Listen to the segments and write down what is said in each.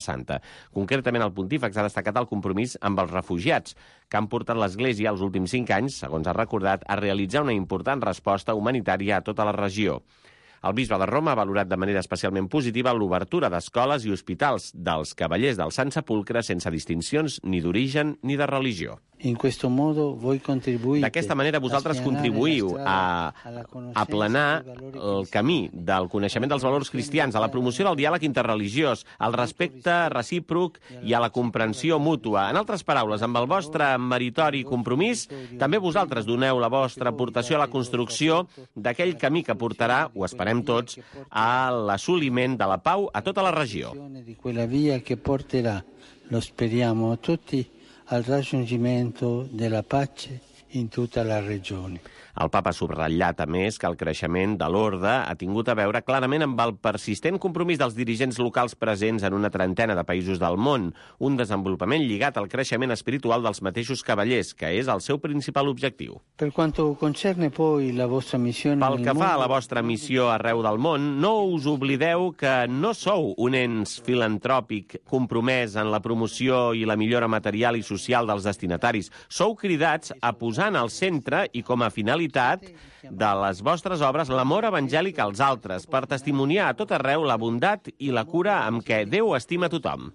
Santa. Concretament, el pontífex ha destacat el compromís amb els refugiats, que han portat l'Església els últims 5 anys, segons ha recordat, a realitzar una important resposta humanitària a tota la regió. El bisbe de Roma ha valorat de manera especialment positiva l'obertura d'escoles i hospitals dels Cavallers del Sant Sepulcre sense distincions ni d'origen ni de religió. D'aquesta manera, vosaltres contribuïu a aplanar el camí del coneixement dels valors cristians, a la promoció del diàleg interreligiós, al respecte recíproc i a la comprensió mútua. En altres paraules, amb el vostre meritori compromís, també vosaltres doneu la vostra aportació a la construcció d'aquell camí que portarà, ho esperem tots, a l'assoliment de la pau a tota la regió. Lo speriamo tutti al raggiungimento della pace in tutta la regione. El papa ha subratllat, a més, que el creixement de l'orde ha tingut a veure clarament amb el persistent compromís dels dirigents locals presents en una trentena de països del món, un desenvolupament lligat al creixement espiritual dels mateixos cavallers, que és el seu principal objectiu. Pel que fa a la vostra missió arreu del món, no us oblideu que no sou un ens filantròpic compromès en la promoció i la millora material i social dels destinataris. Sou cridats a posar en el centre i com a finalitat de les vostres obres l'amor evangèlic als altres, per testimoniar a tot arreu la bondat i la cura amb què Déu estima tothom.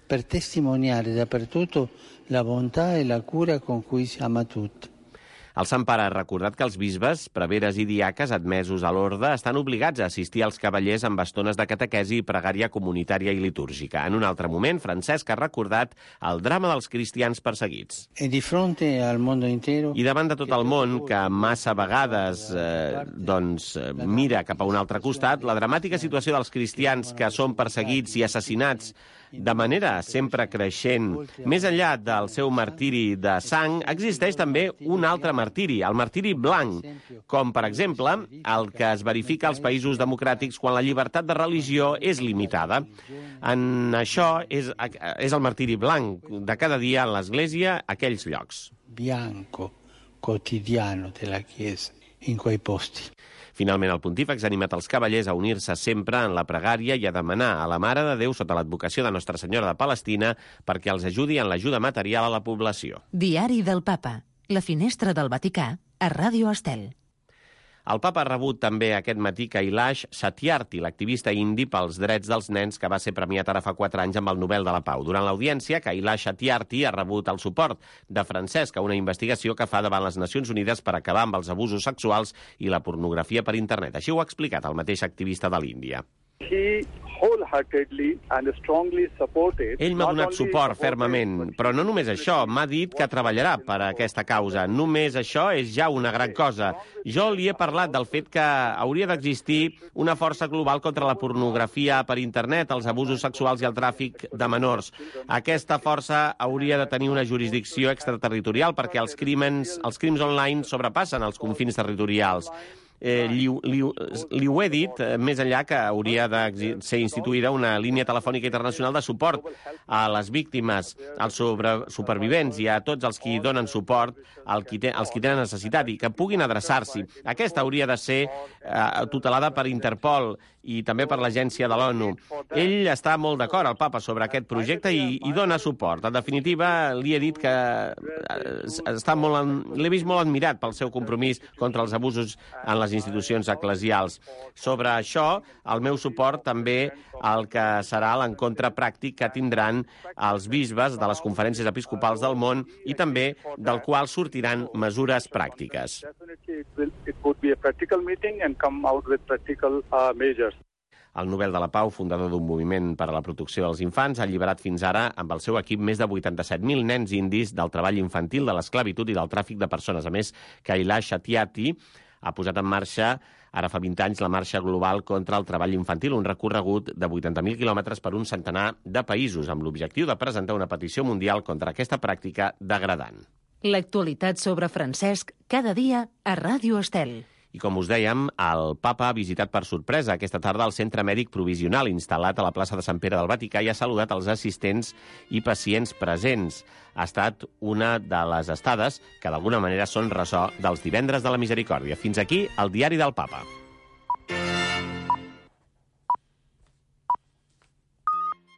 Per testimoniare dappertutto la bontà e la cura con cui ama tutti. El Sant Pare ha recordat que els bisbes, preveres i diaques admesos a l'orde estan obligats a assistir als cavallers amb estones de catequesi i pregària comunitària i litúrgica. En un altre moment, Francesc ha recordat el drama dels cristians perseguits. I davant de tot el món, que massa vegades mira cap a un altre costat, la dramàtica situació dels cristians que són perseguits i assassinats de manera sempre creixent, més enllà del seu martiri de sang, existeix també un altre martiri, el martiri blanc, com, per exemple, el que es verifica als països democràtics quan la llibertat de religió és limitada. En això és el martiri blanc de cada dia en l'Església a aquells llocs. Bianco, quotidiano de la Chiesa, in quei posti. Finalment, el pontífex ha animat els cavallers a unir-se sempre en la pregària i a demanar a la Mare de Déu, sota l'advocació de Nostra Senyora de Palestina, perquè els ajudi en l'ajuda material a la població. Diari del Papa. La finestra del Vaticà a Ràdio Estel. El papa ha rebut també aquest matí Kailash Satyarthi, l'activista indi pels drets dels nens que va ser premiat ara fa 4 anys amb el Nobel de la Pau. Durant l'audiència, Kailash Satyarthi ha rebut el suport de Francesc a una investigació que fa davant les Nacions Unides per acabar amb els abusos sexuals i la pornografia per internet. Així ho ha explicat el mateix activista de l'Índia. Ell m'ha donat suport fermament, però no només això, m'ha dit que treballarà per a aquesta causa. Només això és ja una gran cosa. Jo li he parlat del fet que hauria d'existir una força global contra la pornografia per internet, els abusos sexuals i el tràfic de menors. Aquesta força hauria de tenir una jurisdicció extraterritorial perquè els crims online sobrepassen els confins territorials. Li ho he dit, més enllà que hauria de ser instituïda una línia telefònica internacional de suport a les víctimes, als supervivents i a tots els qui donen suport, als qui tenen necessitat i que puguin adreçar-s'hi. Aquesta hauria de ser tutelada per Interpol i també per l'agència de l'ONU. Ell està molt d'acord, el papa, sobre aquest projecte i dona suport. En definitiva, li he dit que l'he vist molt admirat pel seu compromís contra els abusos en les institucions eclesials. Sobre això, el meu suport també al que serà l'encontre pràctic que tindran els bisbes de les conferències episcopals del món i també del qual sortiran mesures pràctiques. El Nobel de la Pau, fundador d'un moviment per a la protecció dels infants, ha alliberat fins ara, amb el seu equip, més de 87.000 nens indis del treball infantil, de l'esclavitud i del tràfic de persones. A més, Kailash Satyarthi ha posat en marxa, ara fa 20 anys, la Marxa Global contra el Treball Infantil, un recorregut de 80.000 quilòmetres per un centenar de països, amb l'objectiu de presentar una petició mundial contra aquesta pràctica degradant. L'actualitat sobre Francesc, cada dia a Ràdio Estel. I com us dèiem, el papa ha visitat per sorpresa aquesta tarda el centre mèdic provisional instal·lat a la plaça de Sant Pere del Vaticà i ha saludat els assistents i pacients presents. Ha estat una de les estades que d'alguna manera són ressò dels divendres de la misericòrdia. Fins aquí el diari del papa.